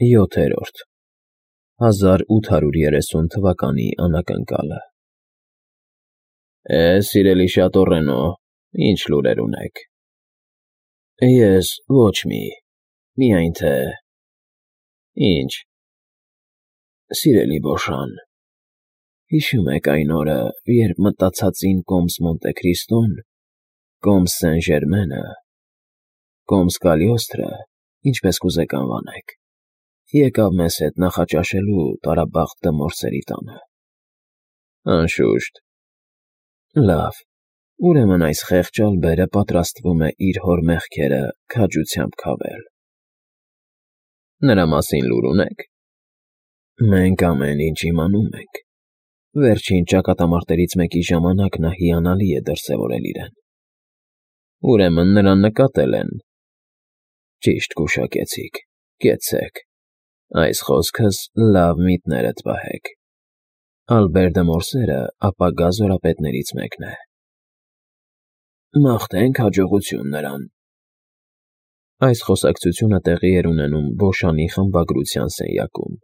7-րդ 1830 թվականի անակնկալը Սիրելի Շատորենո, ինչ լուրեր ունեք։ Ես ոչ մի, միայն թե… Ինչ։ Սիրելի Բոշան, հիշում եք այն օրը, երբ մտածածին կոմս Մոնտե Քրիստոն, կոմս Սեն Ժերմենը, կոմս Կալիոստրը, ինչպես կուզեք անվանեք, եկավ մեզ հետ նախաճաշելու տարաբաղտ դմորսերի տանը։ Անշուշտ։ Լավ, ուրեմն այս խեղճ ալբերը պատրաստվում է իր հոր մեղքերը քաջությամբ քավել։ Նրա մասին լուր ունեք։ Մենք ամեն ինչ իմանում ենք։ Վերջին ճակատամարտերից մեկի ժամանակ նա հիանալի է դրսևորել իրեն։ Ուրեմն նրան նկատել են։ Ճիշտ գուշակեցիք, կեցցեք։ Այս խոսքս լավ միտներդ պահեք։ Ալբեր դը Մորսերը ապագա զորապետներից մեկն է։ Մաղթենք հաջողություն նրան։ Այս խոսակցությունը տեղի էր ունենում Բոշանի խմբագրության սենյակում,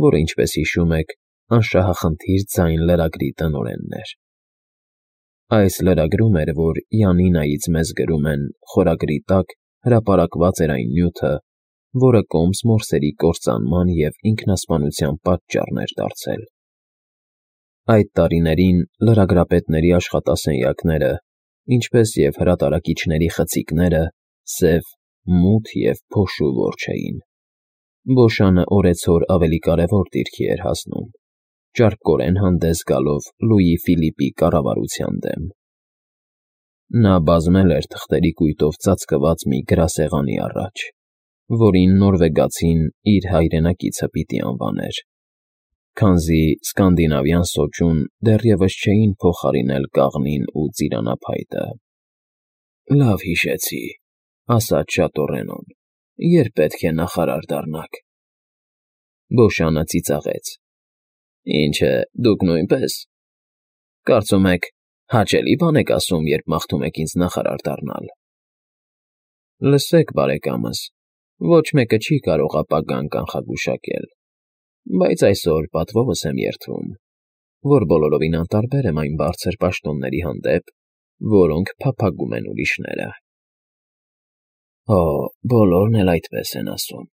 որը, ինչպես հիշում եք, անշահախնդիր ձայն լրագրի տնօրենն էր։ Այս լրագրում էր, որ Յանինայից մեզ գրում են, խորագրի տակ հրապարակված էր այն նյութը, որը կոմս Մորսերի կործանման և ինքնասպանության պատճառն էր դարձել։ Այդ տարիներին լրագրապետների աշխատասենյակները, ինչպես և հրատարակիչների խցիկները, սև, մութ և փոշու որջը էին։ Բոշանը օրեցօր ավելի կարևոր դիրքի էր հասնում, ճարպկորեն հանդես գալով Լուի Ֆիլիպի կառավարության դեմ։ Նա բազմել էր թղթերի կույտով ծածկված մի գրասեղանի առաջ, որին նորվեգացին իր հայրենակիցը պիտի անվաներ, քանզի սկանդինավյան սոճուն դեռևս չէին փոխարինել կաղնին ու ծիրանափայտը։ Լավ հիշեցի, ասաց Շատորենոն, երբ պետք է նախարար դառնաք։ Բոշանը ծիծաղեց։ Ինչ է, դուք նույնպես։ Կարծում եք, հաճելի բան եք ասում, երբ մաղթում եք ինձ նախարար դառնալ։ Լսեք, բարեկամս, ոչ մեկը չի կարող ապագան կանխագուշակել, բայց այսօր պատվովս եմ երդվում, որ բոլորովին անտարբեր եմ այն բարձր պաշտոնների հանդեպ, որոնք փափագում են ուրիշները։ Օ, բոլորն էլ այդպես են ասում։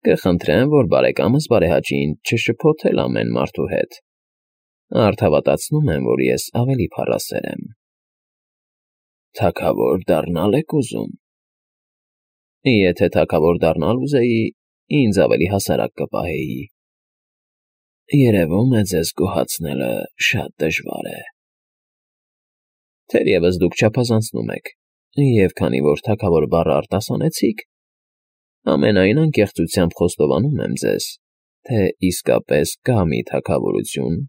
Կխնդրեմ, որ բարեկամս բարեհաճին չշփոթել ամեն մարդու հետ։ Արդ հավատացնում եմ, որ ես ավելի փառասեր եմ։ Թագավոր դառնալ եք ուզում։ Եթե թագավոր դառնալ ուզեի, ինձ ավելի հասարակ կպահեի։ Երևում է, ձեզ գոհացնելը շատ դժվար է։ Թերևս դուք չափազանցնում եք, և քանի որ թագավոր բառը արտասանեցիք, ամենայն անկեղծությամբ խոստովանում եմ ձեզ, թե իսկապես կա մի թագավորություն,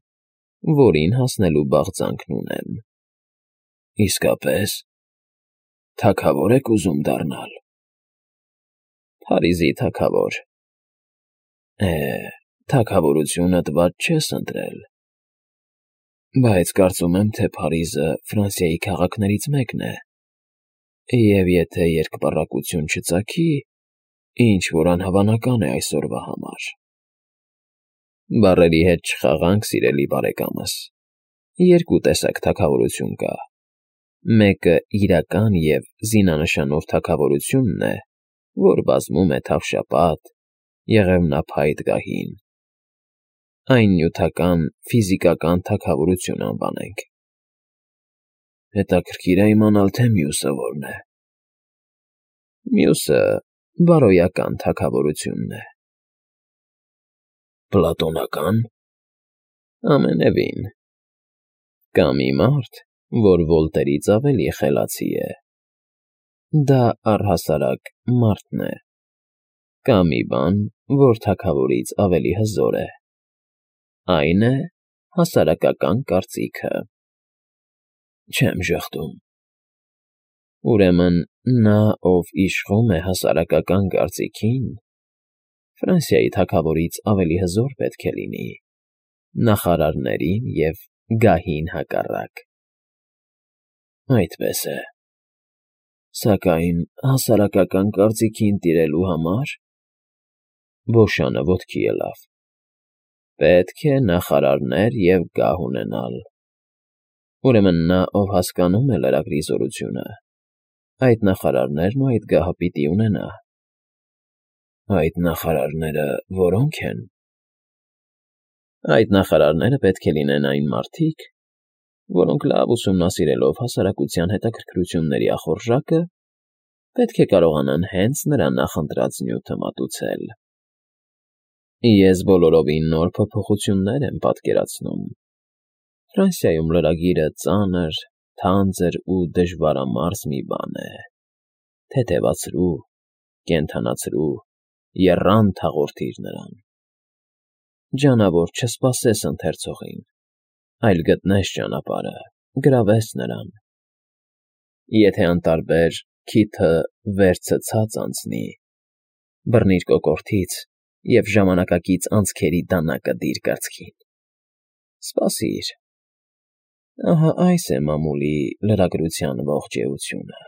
որին հասնելու բաղձանքն ունեմ։ Իսկապես, թագավոր եք ուզում դառնալ։ Փարիզի թագավոր։ Թագավորությունդ վատ չես ընտրել։ Բայց կարծում եմ, թե Փարիզը Ֆրանսիայի քաղաքներից մեկն է, և եթե երկպառակություն չծագի, ինչ֊որ անհավանական է այսօրվա համար։ Բառերի հետ չխաղանք, սիրելի բարեկամս։ Երկու տեսակ թագավորություն կա. մեկը իրական և զինանշանով թագավորությունն է, որ բազմում է թավշապատ, եղևնափայտ գահին։ Այն նյութական, ֆիզիկական թագավորություն անվանենք։ Հետաքրքիր է իմանալ, թե մյուսը որն է։ Մյուսը բարոյական թագավորությունն է։ Պլատոնական։ Ամենևին։ Կա մի մարդ, որ Վոլտերից ավելի խելացի է։ Դա առհասարակ մարդն է։ Կա մի բան, որ թագավորից ավելի հզոր է։ Այն է հասարակական կարծիքը։ Չեմ ժխտում։ Ուրեմն նա, ով իշխում է հասարակական կարծիքին, Ֆրանսիայի թագավորից ավելի հզոր պետք է լինի, նախարարներին և գահին հակառակ։ Այդպես է։ Սակայն հասարակական կարծիքին տիրելու համար Բոշանը ոտքի ելավ։ Պետք է նախարարներ և գահ ունենալ։ Ուրեմն նա, ով հասկանում է լրագրի զորությունը, այդ նախարարներն ու այդ գահը պիտի ունենա։ Այդ նախարարները որո՞նք են։ Այդ նախարարները պետք է լինեն այն մարդիկ, որոնք լավ ուսումնասիրելով հասարակության հետաքրքրությունների ախորժակը, պետք է կարողանան հենց նրա նախընտրած նյութը մատուցել։ Ես բոլորովին նոր փոփոխություններ եմ պատկերացնում։ Ֆրանսիայում լրագիրը ծանր, թանձր ու դժվարամարս մի բան է։ Թեթևացրու, կենդանացրու, եռանդ հաղորդիր նրան։ Ջանավոր չսպասես ընթերցողին, այլ գտնես ճանապարհը, գրավես նրան։ Եթե անտարբեր քիթը վերցը ցած անցնի, բռնիր կոկորդից և ժամանակակից անցքերի դանակը դիր կրծքին։ Սպասիր։ Ահա այս է մամուլի լրագրության ողջ էությունը։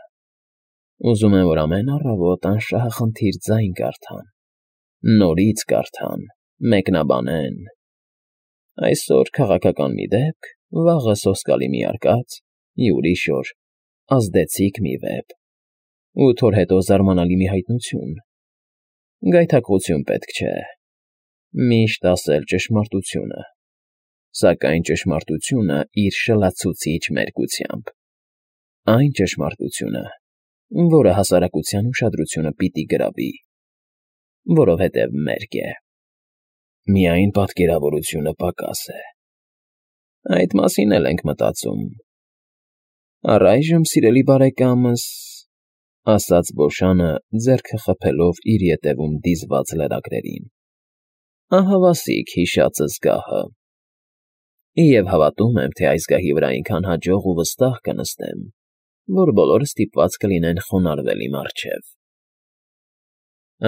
Ուզում են, որ ամեն առավոտ անշահախնդիր ձայն կարդան, նորից կարդան, մեկնաբանեն։ Այսօր քաղաքական մի դեպք, վաղը սոսկալի մի արկած, ուրիշ օր ազդեցիկ մի վեպ, 8 օր հետո զարմանալի մի հայտնություն։ Գայթակղություն պետք չէ։ Միշտ ասել ճշմարտությունը, սակայն ճշմարտությունը իր շլացուցիչ մերկությամբ։ Այն ճշմարտությունը, որը հասարակության ուշադրությունը պիտի գրավի, որովհետև մերկ է։ Միայն պատկերավորությունը պակաս է։ Այդ մասին էլ ենք մտածում։ Առայժմ, սիրելի բարեկամս, ասաց Բոշանը, ձեռքը խփելով իր ետևում դիզված լրագրերին, ահավասիկ հիշածս գահը։ Եվ հավատում եմ, թե այս գահի վրա այնքան հաջող ու վստահ կնստեմ, որ բոլորը ստիպված կլինեն խոնարհվել իմ առջև։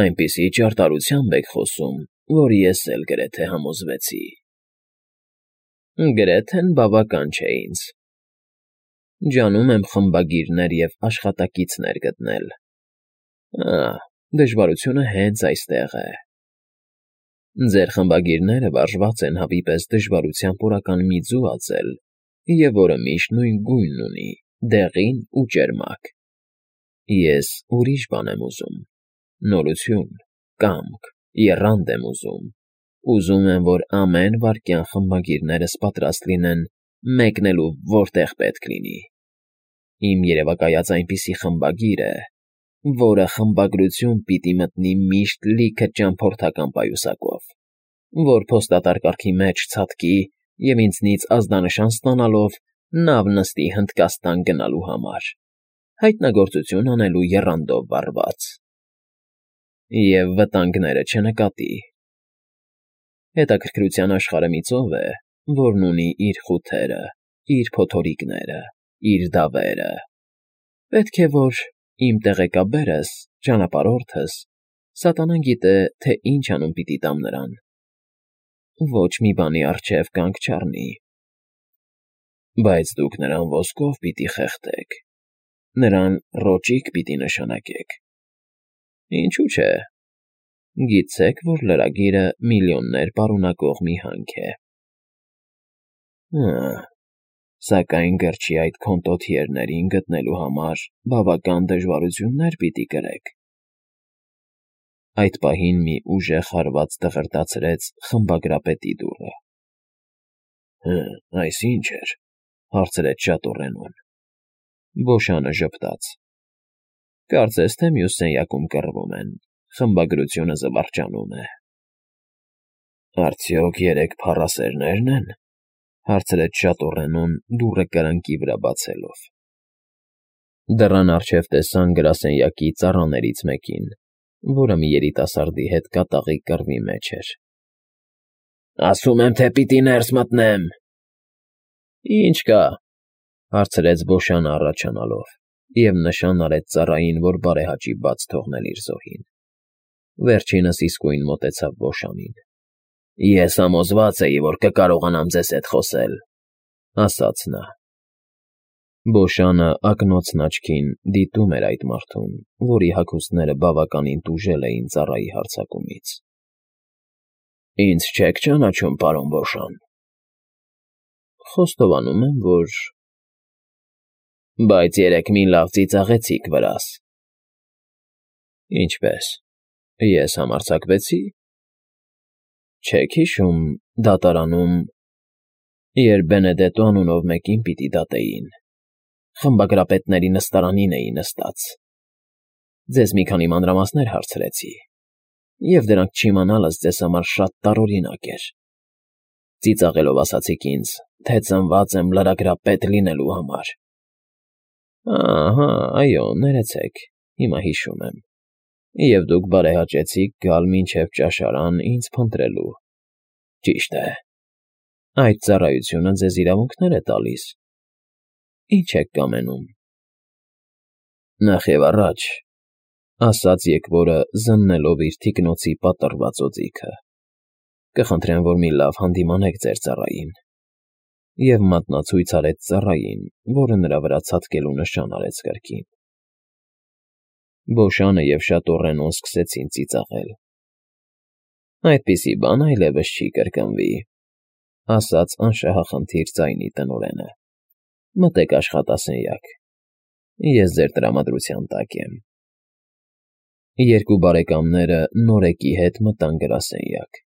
Այնպիսի ճարտարությամբ եք խոսում, որ ես էլ գրեթե համոզվեցի։ Գրեթեն բավական չէ ինձ։ Ջանում եմ խմբագիրներ և աշխատակիցներ գտնել։ Դժվարությունը հենց այստեղ է։ Ձեր խմբագիրները վարժված են հավի պես դժվարությամբ օրական մի ձու ածել, և որը միշտ նույն գույնն ունի, դեղին ու ճերմակ։ Ես ուրիշ բան եմ ուզում, նորություն, կամք, եռանդ եմ ուզում։ Ուզում եմ, որ ամեն վայրկյան խմբագիրներս պատրաստ լինեն մեկնելու որտեղ պետք լինի։ Իմ երևակայած այնպիսի խմբագիր է, որը խմբագրություն պիտի մտնի միշտ լիքը ճամփորդական պայուսակով, որ փոստատար կարգի մեջ ցատկի և ինձնից ազդանշան ստանալով նավ նստի Հնդկաստան գնալու համար, հայտնագործություն անելու եռանդով վառված։ Եվ վտանգները չնկատի։ Հետաքրքրության աշխարհը մի ծով է, որն ունի իր խութերը, իր փոթորիկները, իր դավերը։ Պետք է, որ իմ տեղեկաբերս, ճանապարհորդս, սատանան գիտե, թե ինչ անուն պիտի տամ նրան։ Ոչ մի բանի առջև կանգ չառնի։ Բայց դուք նրան ոսկով պիտի խեղդեք, նրան ռոճիկ պիտի նշանակեք։ Ինչու՞ չէ։ Գիտեք, որ լրագիրը միլիոններ պարունակող մի հանք է։ Սակայն գրչի այդ քոնտոթիերներին գտնելու համար բավական դժվարություններ պիտի կրեք։ Այդ պահին մի ուժեղ հարված դղրդացրեց խմբագրապետի դուռը։ Այս ի՞նչ էր, հարցրեց շատորենուն։ Բոշանը ժպտաց։ Կարծես թե մյուս սենյակում կռվում են, խմբագրությունը զվարճանում է։ Արդյոք երեք փառասերնե՞րն են, հարցրեց շատորենուն դուռը կրկնակի վրա բացելով։ Դռան առջև տեսան գրասենյակի ծառաներից մեկին, որը մի երիտասարդի հետ կատաղի կռվի մեջ էր։ Ասում եմ, թե պիտի ներս մտնեմ։ Ինչ կա, հարցրեց Բոշանը առաջանալով և նշան արեց ծառային, որ բարեհաճի բաց թողնել իր զոհին։ Վերջինս իսկույն մոտեցավ Բոշանին։ Ես համոզված էի, որ կկարողանամ ձեզ հետ խոսել, ասաց նա։ Բոշանը ակնոցն աչքին դիտում էր այդ մարդուն, որի հագուստները բավականին տուժել էին ծառայի հարձակումից։ Ինձ չեք ճանաչում, պարոն Բոշան։ Խոստովանում եմ, որ… Բայց երեկ մի լավ ծիծաղեցիք վրաս։ Ինչպե՞ս, ես համարձակվեցի… Չեք հիշում դատարանում, երբ Բենեդետո անունով մեկին պիտի դատեին, խմբագրապետների նստարանին էի նստած, ձեզ մի քանի մանրամասներ հարցրեցի, և դրանք չիմանալս ձեզ համար շատ տարօրինակ էր, ծիծաղելով ասացիք ինձ, թե ծնված եմ լրագրապետ լինելու համար… Ահա, այո, ներեցեք, հիմա հիշում եմ, և դուք բարեհաճեցիք գալ մինչև ճաշարան ինձ փնտրելու, ճիշտ է, այդ ծառայությունը ձեզ իրավունքներ է տալիս, ինչ եք կամենում… Նախ և առաջ, ասաց եկվորը զննելով իր թիկնոցի պատռված օձիքը, կխնդրեմ, որ մի լավ հանդիմանեք ձեր ծառային, և մատնացույց արեց ծառային, որը նրա վրա ցատկելու նշան արեց կրկին… Բոշանը և շատոռենոն սկսեցին ծիծաղել։ Այդպիսի բան այլևս չի կրկնվի, ասաց անշահախնդիր ձայնի տնօրենը, մտեք աշխատասենյակ, ես ձեր տրամադրության տակ եմ… Երկու բարեկամները նորեկի հետ մտան գրասենյակ։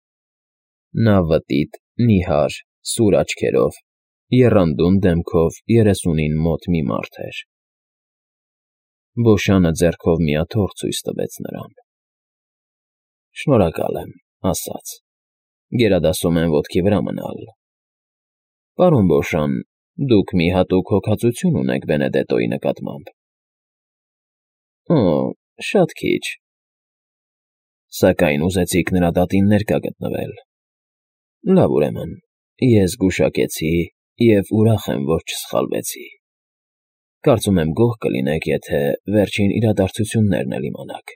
Նա վտիտ, նիհար, սուր աչքերով, եռանդուն դեմքով 30-ին մոտ մի մարդ էր։ Բոշանը ձեռքով մի աթոռ ցույց տվեց նրան։ Շնորհակալ եմ, ասաց, գերադասում եմ ոտքի վրա մնալ… Պարոն Բոշան, դուք մի հատուկ հոգածություն ունեք Բենեդետոյի նկատմամբ… Օ, շատ քիչ… Սակայն ուզեցիք նրա դատին ներկա գտնվել… Լավ, ուրեմն, ես գուշակեցի և ուրախ եմ, որ չսխալվեցի… Կարծում եմ գոհ կլինեք, եթե վերջին իրադարձություններն էլ իմանաք…